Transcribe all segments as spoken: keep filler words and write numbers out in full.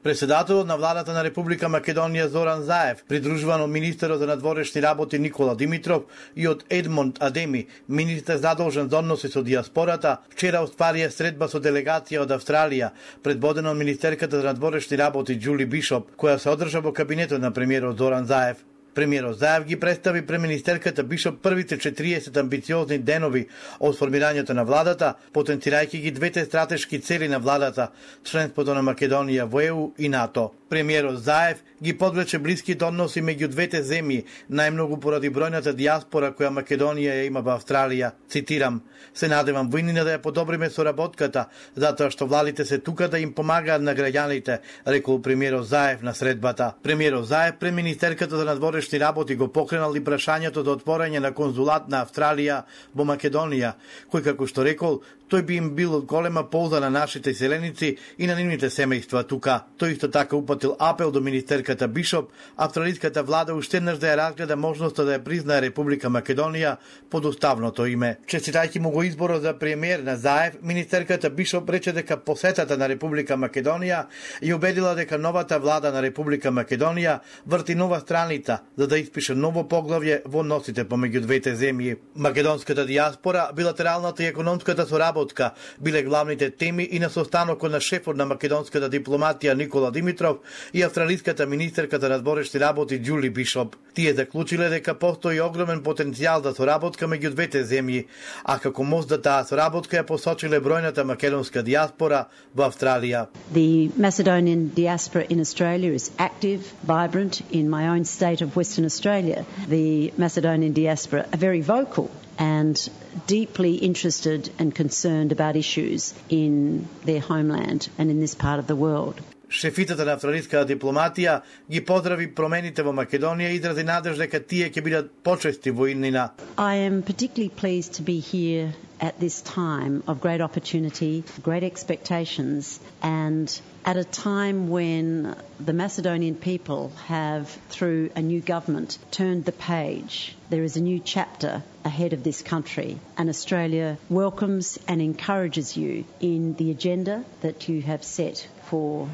Председателот на владата на Република Македонија Зоран Заев, придружуван од министерот за надворешни работи Никола Димитров и од Едмонд Адеми, министер задолжен за односи со диаспората, вчера остварија средба со делегација од Австралија, предводена од министерката за надворешни работи Џули Бишоп, која се одржа во кабинетот на премиерот Зоран Заев. Премиерот Заев ги представи пред министерката Бишоп првите четириесет амбициозни денови од формирањето на владата, потенцирајќи ги двете стратешки цели на владата, членството на Македонија во Е У и НАТО. Премиерот Заев ги подвлече блиските односи меѓу двете земји, најмногу поради бројната диаспора која Македонија ја има во Австралија. Цитирам: "Се надевам во иднина да ја подобриме соработката, затоа што владите се тука да им помагаат на граѓаните", рекол премиерот Заев на средбата. Премиерот Заев пред министерката за надворешни работи го покренал и прашањето за отворање на конзулат на Австралија во Македонија, кој, како што рекол, тој би им бил од голема полза на нашите селеници и на нивните семејства тука. Тој исто така упатил апел до министерката Бишоп, австралиската влада уште еднаш да ја разгледа можноста да ја признае Република Македонија под уставното име. Честитајќи му го изборот за премиер на Заев, министерката Бишоп рече дека посетата на Република Македонија ја убедила дека новата влада на Република Македонија врти нова страница за да испише ново поглавје во односите помеѓу двете земји. Македонската диаспора, билатералната и економската соработка биле главните теми и на состанокот на шефот на македонската дипломатија Никола Димитров и австралиската министерка за надворешни работи Џули Бишоп. Тие заклучиле дека постои огромен потенцијал за соработка меѓу двете земји, а како мост за таа соработка ја посочиле бројната македонска диаспора во Австралија. The Macedonian diaspora in Australia is active, vibrant. In my own state of Western Australia, the Macedonian diaspora are very vocal and deeply interested and concerned about issues in their homeland and in this part of the world. Шефицата на австралиската дипломатија ги поздрави промените во Македонија и изрази надеж дека тие ќе бидат почести во иднина. I am particularly pleased to be here at this time of great opportunity, great expectations, and at a time when the Macedonian people have, through a new government, turned the page. There is a new chapter ahead of this country, and Australia welcomes and encourages you in the agenda that you have set for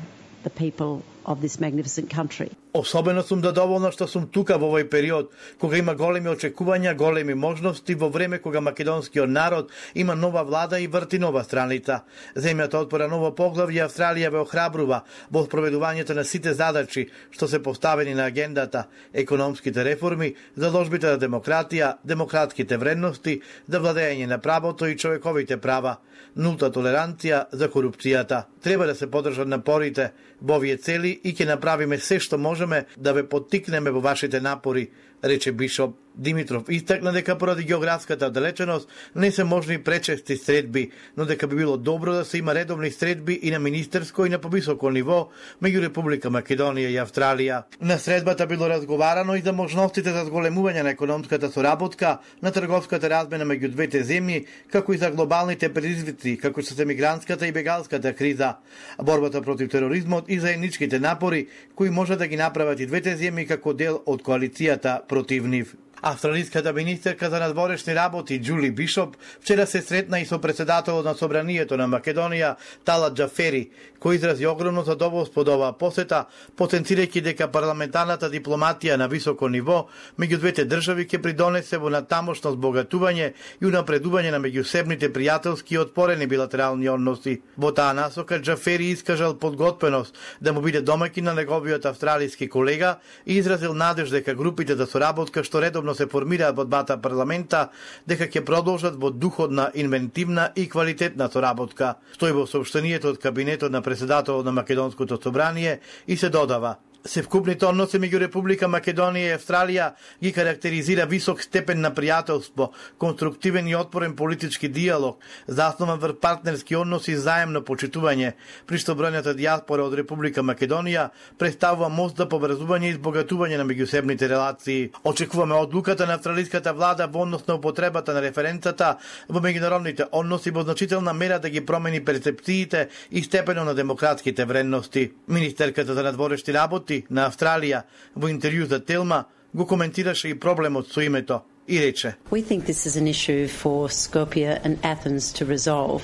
the people of this magnificent country. Особено сум задоволна што сум тука во овој период, кога има големи очекувања, големи можности, во време кога македонскиот народ има нова влада и врти нова страница. Земјата отвора ново поглавје, Австралија ве охрабрува во спроведувањето на сите задачи што се поставени на агендата, економските реформи, заложбите за демократија, демократските вредности, за владење на правото и човековите права, нулта толеранција за корупцијата. Треба да се подржат напорите во овие цели и ќе направиме се што можеме да ве поттикнеме во вашите напори, рече Бишоп. Димитров истакна дека поради географската далеченост не се можни пречести средби, но дека би било добро да се има редовни средби и на министерско и на повисоко ниво меѓу Република Македонија и Австралија. На средбата било разговарано и за можностите за зголемување на економската соработка, на трговската размена меѓу двете земји, како и за глобалните предизвици, како што се мигрантската и бегалската криза, борбата против тероризмот и заедничките напори кои може да ги направат и двете земји како дел од коалицијата против нив. Австралиската министерка за надворешни работи Џули Бишоп вчера се сретна и со председателот на Собранието на Македонија Талат Џафери, кој изрази огромно задоволство од оваа посета, потенцирајќи дека парламентарната дипломатија на високо ниво меѓу двете држави ќе придонесе во натамошно збогатување и унапредување на меѓусебните пријателски и отворени билатерални односи. Во таа насока Џафери искажал подготвеност да му биде домаќин на неговиот австралиски колега и изразил надеж дека групите за соработка што редовно се формираат во двата парламента, дека ќе продолжат во духот на инвентивна и квалитетна соработка. Стои во соопштението од кабинетот на председателот на Македонското собрание и се додава: Севкупните односи меѓу Република Македонија и Австралија ги карактеризира висок степен на пријателство, конструктивен и отворен политички диалог, заснован врз партнерски односи и заемно почитување, при што бројната диаспора од Република Македонија представува мост за поврзување и избогатување на меѓусебните релации. Очекуваме одлуката на австралиската влада во однос на употребата на референцата во меѓународните односи во значителна мера да ги промени перцепциите и степенот на демократските вредности. Министерката за надворешни работи на Австралија во интервју за Телма го коментираше и проблемот со името. и рече: We think this is an issue for Skopje and Athens to resolve.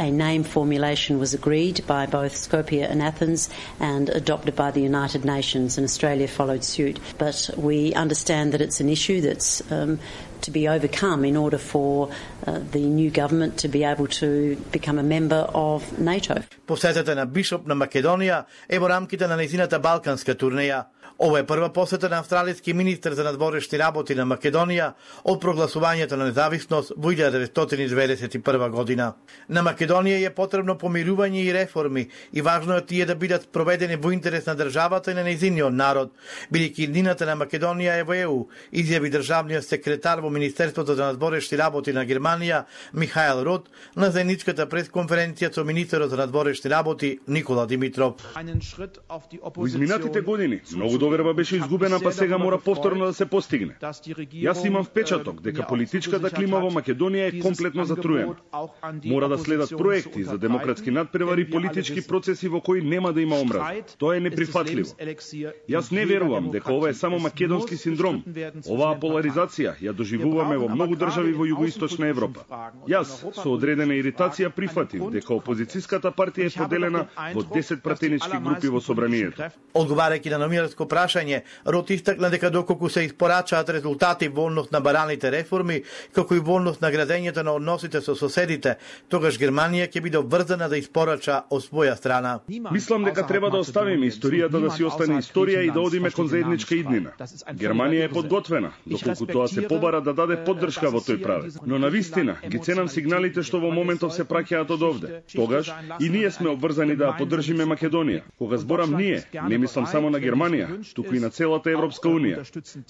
A name formulation was agreed by both Skopje and Athens and adopted by the United Nations, and Australia followed suit. But we understand that it's an issue that's um, to be overcome in order for uh, the new government to be able to become a member of NATO. Посетата на Бишоп на Македонија е во рамките на нејзината балканска турнеја. Ова е прва посета на австралиски министер за надворешни работи на Македонија од прогласувањето на независност во илјада деветстотини деветдесет и прва година. На Македонија е потребно помирување и реформи и важно е тие да бидат проведени во интерес на државата и на нејзиниот народ, бидејќи иднината на Македонија е во Е У, изјави државниот секретар во Министерството за надворешни работи на Германија Михаел Рот на заедничката пресконференција со министерот за надворешни работи Никола Димитров. Во изминатите години многу доверба беше изгубена, па сега мора повторно да се постигне. Јас имам впечаток дека политичката клима во Македонија е комплетно затруена. Мора да следат проекти за демократски надпревари и политички процеси во кои нема да има омраза. Тоа е неприфатливо. Јас не верувам дека ова е само македонски синдром. Оваа поларизација ја доживуваме во многу држави во југоисточна Европа. Јас со одредена иритација прифатив дека опозицијската партија е поделена во десет пратенички групи во собранието. Одговарајќи на номинарско прашање, Рот истакна дека доколку се испорачаат резултати во однос на бараните реформи, како и во однос на градењето на односите со соседите, тогаш Германија ќе биде обврзана да испорача од своја страна. Мислам дека треба да оставиме историјата да си остане историја и да одиме кон заедничка иднина. Германија е подготвена, доколку тоа се побара да даде поддршка во тој правец. Но навистина ги ценам сигналите што во моментов се праќаат од овде. Тогаш и ние сме обврзани да поддржиме Македонија. Кога зборам ние, не мислам само на Германија, туку и на целата Европска унија.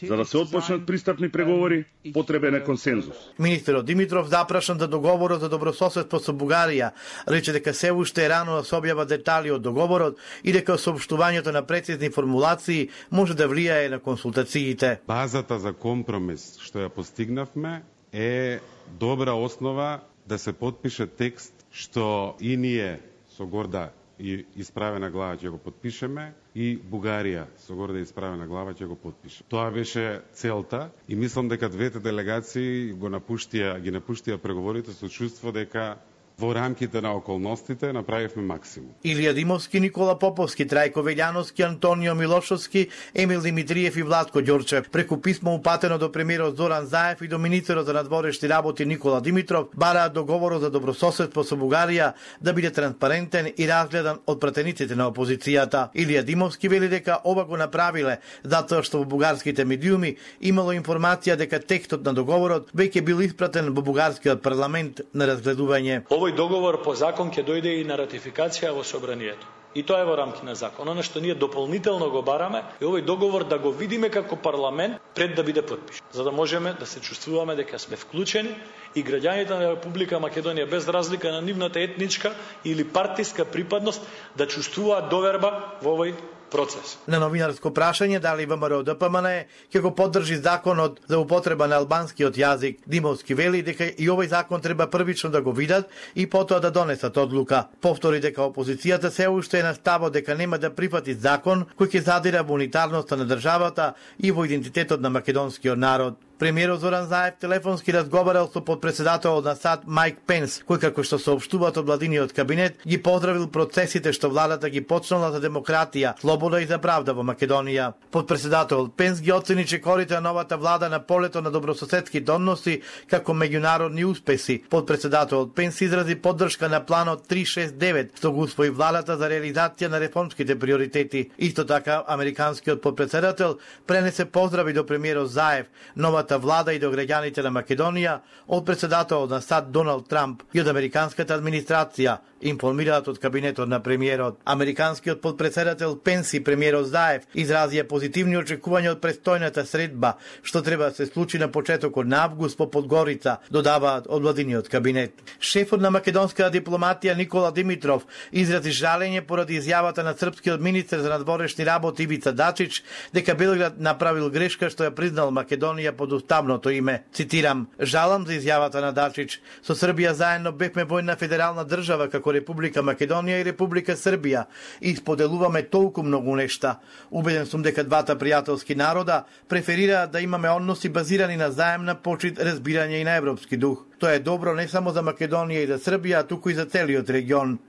За да се отпочнат пристапни преговори, потребен е консензус. Министерот Димитров запрашан за договорот за добрососедство со Бугарија, рече дека се уште е рано да се објават детали од договорот и дека соопштувањето на прецизни формулации може да влијае на консултациите. Базата за компромис што ја постигнавме е добра основа да се потпише текст што и ние со горда и исправена глава ќе го потпишеме и Бугарија со горда исправена глава ќе го потпише. Тоа беше целта и мислам дека двете делегации го напуштија, ги напуштија преговорите со чувство дека во рамките на околностите направивме максимум. Илија Димовски, Никола Поповски, Трајко Велјановски, Антонио Милошовски, Емил Димитриев и Владко Ѓорчев преку писмо упатено до премиерот Зоран Заев и до министерот за надворешни работи Никола Димитров бараат договорот за добрососедство со Бугарија да биде транспарентен и разгледан од пратениците на опозицијата. Илија Димовски вели дека ова го направиле затоа што во бугарските медиуми имало информација дека текстот на договорот веќе бил испратен во бугарскиот парламент на разгледување. Овој договор по закон ќе дојде и на ратификација во собранието. И тоа е во рамки на закон. Оно што ние дополнително го бараме е овој договор да го видиме како парламент пред да биде потпишан, за да можеме да се чувствуваме дека сме вклучени и граѓаните на Република Македонија без разлика на нивната етничка или партиска припадност да чувствуваат доверба во овој процес. На новинарско прашање дали ВМРО Д П М Н ќе го поддржи законот за употреба на албанскиот јазик, Димовски вели дека и овој закон треба првично да го видат и потоа да донесат одлука. Повтори дека опозицијата се уште е на ставот дека нема да прифати закон кој ќе задира во унитарноста на државата и во идентитетот на македонскиот народ. Премиерот Зоран Заев телефонски разговарал со подпредседателот на САД Мајк Пенс, кој како што соопштуваат од владиниот кабинет ги поздравил процесите што владата ги почнала за демократија, слобода и за правда во Македонија. Подпредседателот Пенс ги оцени чекорите на новата влада на полето на добрососедските односи како меѓународни успеси. Подпредседателот Пенс изрази поддршка на планот три шест девет што го усвои владата за реализација на реформските приоритети. Исто така американскиот подпредседател пренесе поздрави до премиерот Заев, новата влада и до граѓаните на Македонија од председателот на САД Доналд Трамп и од американската администрација, информираат од кабинетот на премиерот. Американскиот подпредседател Пенс и премиерот Заев изразија позитивни очекувања од престојната средба, што треба да се случи на почетокот на август по Подгорица, додаваат од владиниот кабинет. Шефот на македонската дипломатија Никола Димитров изрази жалење поради изјавата на српскиот министер за надворешни работи Ивица Дачич дека Белград направил грешка што ја признал Македонија под уставното име. Цитирам: "Жалам за изјавата на Дачич. Со Србија заедно бевме војна федерална држава како како Република Македонија и Република Србија и споделуваме толку многу нешта. Убеден сум дека двата пријателски народа преферираат да имаме односи базирани на заемна почит, разбирање и на европски дух. Тоа е добро не само за Македонија и за Србија, а туку и за целиот регион.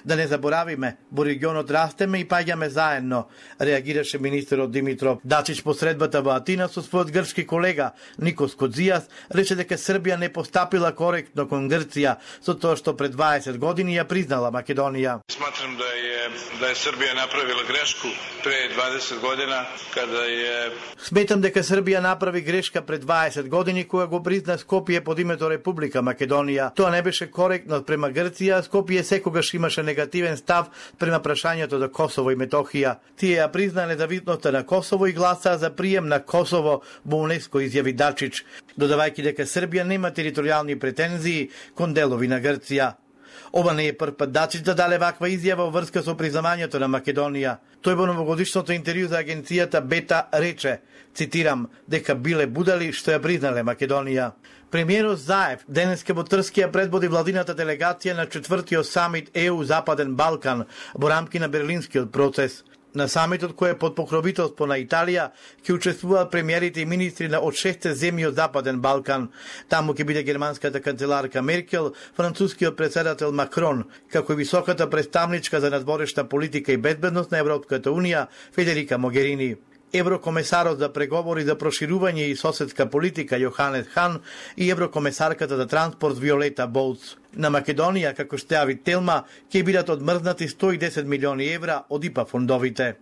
Да не заборавиме, во регионот растеме и паѓаме заедно, реагираше министерот Димитров. Дачич по средбата во Атина со својот грчки колега Никос Кодзијас рече дека Србија не постапила коректно кон Грција со тоа што пред дваесет години ја признала Македонија. Сматрам да е да е Србија направила грешку пред дваесет година када е Сметам дека Србија направи грешка пред дваесет години кога го призна Скопје под името Република Македонија. Тоа не беше коректно према Грција, Скопје секогаш имаше негативен став према прашањето за Косово и Метохија. Тие ја призна независноста на Косово и гласаа за прием на Косово во УНЕСКО, изјави Дачич, додавајќи дека Србија нема територијални претензии кон делови на Грција. Ова не е прв пат Дачич да даде ваква изјава во врска со признавањето на Македонија. Тој во новогодишното интервју за агенцијата Бета рече, цитирам, дека биле будали што ја признале Македонија. Премиерот Заев денеска во Трскија предводи владината делегација на четвртиот самит Е У Западен Балкан во рамки на Берлинскиот процес. На самитот кој е под покровителство на Италија ќе учествуваат премиерите и министри на од шесте земји од Западен Балкан. Таму ќе биде германската канцеларка Меркел, францускиот председател Макрон, како и високата представничка за надворешна политика и безбедност на Европската унија Федерика Могерини. Еврокомесарот за преговори за проширување и соседска политика Јоханес Хан и еврокомесарката за транспорт Виолета Болц. На Македонија, како што јави Телма, ќе бидат одмрзнати сто и десет милиони евра од ИПА фондовите.